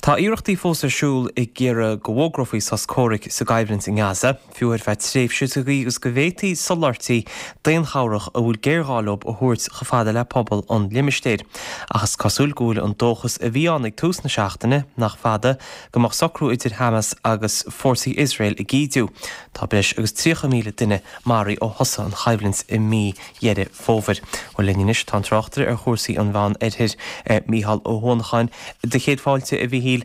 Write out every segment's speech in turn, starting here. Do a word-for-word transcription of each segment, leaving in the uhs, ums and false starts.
Tá iarrachtaí fós ar siúl ag iarraidh go bhfógrófaí sos comhraic sa gcoimhlint i nGaza, fiú ar feadh tréimhse sa gcaoi agus go bhféadfaí soláthairtí daonchabhrach a bhfuil géarghá leo a thabhairt chomh fada le pobal an limistéir. Ach is cosúil go bhfuil an dóchas a bhí ann ag tús na seachtaine nach fada go mbeadh socrú idir Hamas agus fórsaí Iosrael ag ídiú. Tá breis agus tríocha míle duine maraithe ó thosaigh an choimhlint i mí Dheireadh Fómhair. Bhuel linn anois tá an tráchtaire ar chúrsaí an Mheánoirthir Mícheál Ó hUanacháin. Do chéad fáilte a Mhíchíl.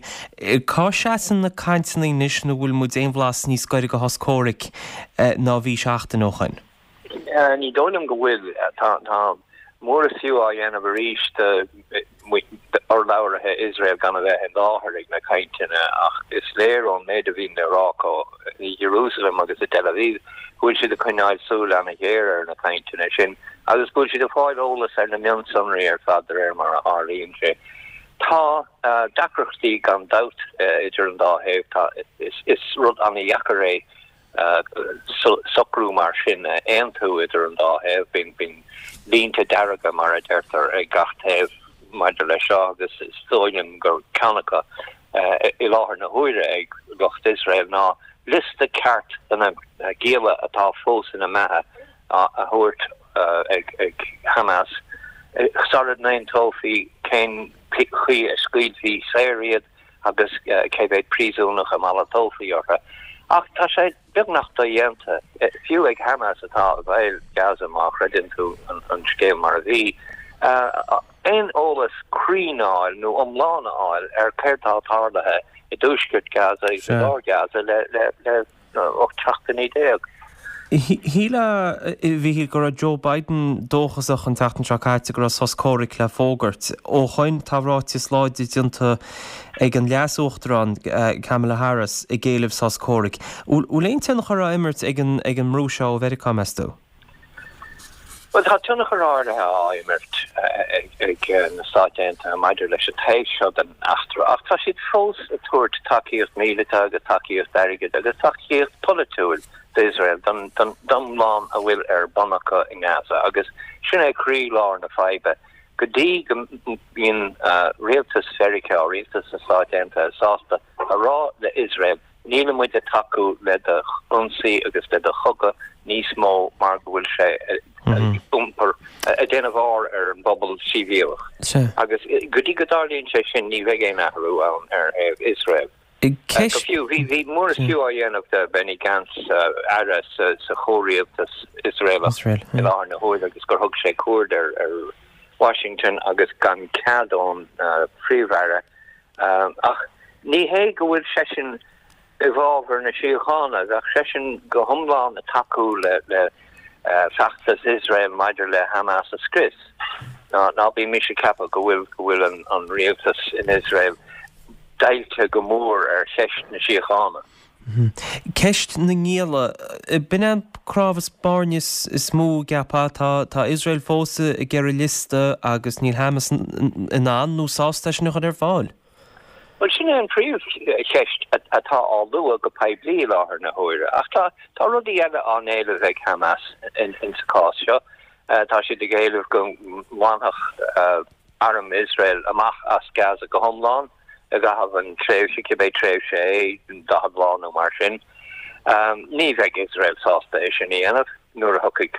Cá seasann na cainteanna anois nó bhfuil muid aon bhlas níos gaire do shos comhraic ná bhí seachtain ó shin? Ní dóigh liom go bhfuil. Tá mór is fiú á dhéanamh arís d'urlabhraithe Iosrael gan a bheith i láthair ag na cainteanna ach is léir ón méid a bhíonn le rá acu i Jerusalem agus i Tel Aviv go bhfuil siad ag coinneáil súil an-ghéar ar na cainteanna sin agus go bhfuil siad ag fáil eolas ar na mionsonraí ar fad de réir mar a tharlaíonn sé. Tá deacrachtaí gan dabht idir an dá thaobh. Tá, is rud an-dheacair é socrú mar sin a aontú idir an dá thaobh. Bíonn, bíonn línte dearga, mar a deirtear, ag gach taobh maidir leis seo agus is dóigh liom gur ceann acu i láthair na huaire ag lucht Iosrael ná liosta ceart de na gialla atá fós ina mbeatha a thabhairt ag Hamas sara n-aontófaí cén chaoi a scaoilfí saor iad agus cé mhéad príosúnach a malartófaí orthu. Ach tá sé beagnach dodhéanta, fiú ag Hamas atá i bhfeighil Gaza má chreideann tú an scéal mar a bhí, aon eolas cruinn a fháil nó iomlán a fháil ar céard atá tarlaithe i dtuaisceart Gaza agus i lár Gaza le ocht seachtainí déag. Shílfeá, a Mhíchíl, go raibh Joe Biden dóchasach an tseachtain seo caite go raibh sos comhraic le fógairt. Ó shoin tá ráiteas láidir déanta ag an Leas-Uachtarán Kamala Harris ag éileamh sos comhraic. Bhfuil aon tionchar á imirt ag an mbrú seo ó Mheiriceá, meas tú? Bhuel, tá tionchar áirithe á imirt ag na Stáit Aontaithe maidir leis an taobh seo den eachtra, ach tá siad fós ag tabhairt tacaíocht mhíleata agus tacaíocht airgid agus tacaíocht pholaitiúil d'Iosrael don iomlán a bhfuil ar bun acu i nGaza, agus sin é croílár na faidhbe. Go dtí go mbíonn rialtas Mheiriceá, rialtas na Stáit Aontaithe sásta a rá le Iosrael, Níl muid ag tacú le do ionsaí agus le do chogadh níos mó mar go bhfuil sé ag iompar, ag déanamh ár ar an bpobal sibhialach. Agus go dtí go dtarlaíonn sé sin ní bheidh aon athrú ann ar thaobh Iosrael. Go fiú, bhí mór is fiú á dhéanamh de Benny Gantz, aire sa chomhrialtas Iosraelach i láthair na huaire agus gur thug sé cuaird ar Washington agus gan cead ón Phríomh-Aire. Ach ní hé go bhfuil seisean i bhfabhar na síochána, bheadh seisean go hiomlán ag tacú le feachtas Iosrael maidir le Hamas a scrios. Ná bímis ag ceapadh go bhfuil go bhfuil an rialtas in Iosrael deighilte go mór ar cheist na síochána. Ceist na ngialla, b'in é an cnámh spairne is mó, cheapfá. Tá Iosrael fós ag iarraidh liosta agus níl Hamas in ann nó sásta é sin a chur ar fáil. Bhuel, sin é an phríomhcheist atá á lua go poiblí i láthair na huaire. Ach tá rudaí eile á n-éileamh ag Hamas insa chás seo. Tá siad ag éileamh go mbainfeadh arm Iosrael amach as Gaza go hiomlán. i gcaitheamh an tréimhse, cibé tréimhse é, daichead lá nó mar sin. Ní bheidh Iosrael sásta é sin a dhéanamh nuair a thiocfaidh,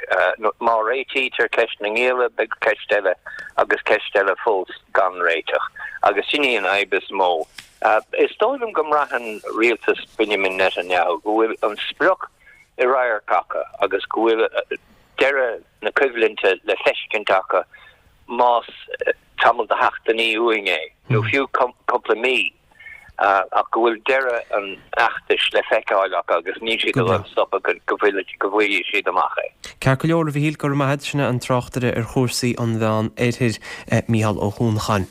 má réitítear ceist na ngialla, beidh ceist eile agus ceist eile fós gan réiteach. Agus sin í an fhadhb is mó. Is dóigh liom go mbraitheann rialtas Benjamin Netanyahu go bhfuil an sprioc i radharc acu agus go bhfuil deireadh na coimhlinte le feiscint acu más tamall de sheachtainí uainn é, nó fiú cúpla mí, ach go bhfuil deireadh an fheachtais le feiceáil acu agus níl siad ag dul stopadh go bhfaighidh siad amach é. Ceart go leor, a Mhíchíl, go raibh maith agat. Sin é an tráchtaire ar chúrsaí an Mheán Oirthir, Mícheál Ó hUanacháin.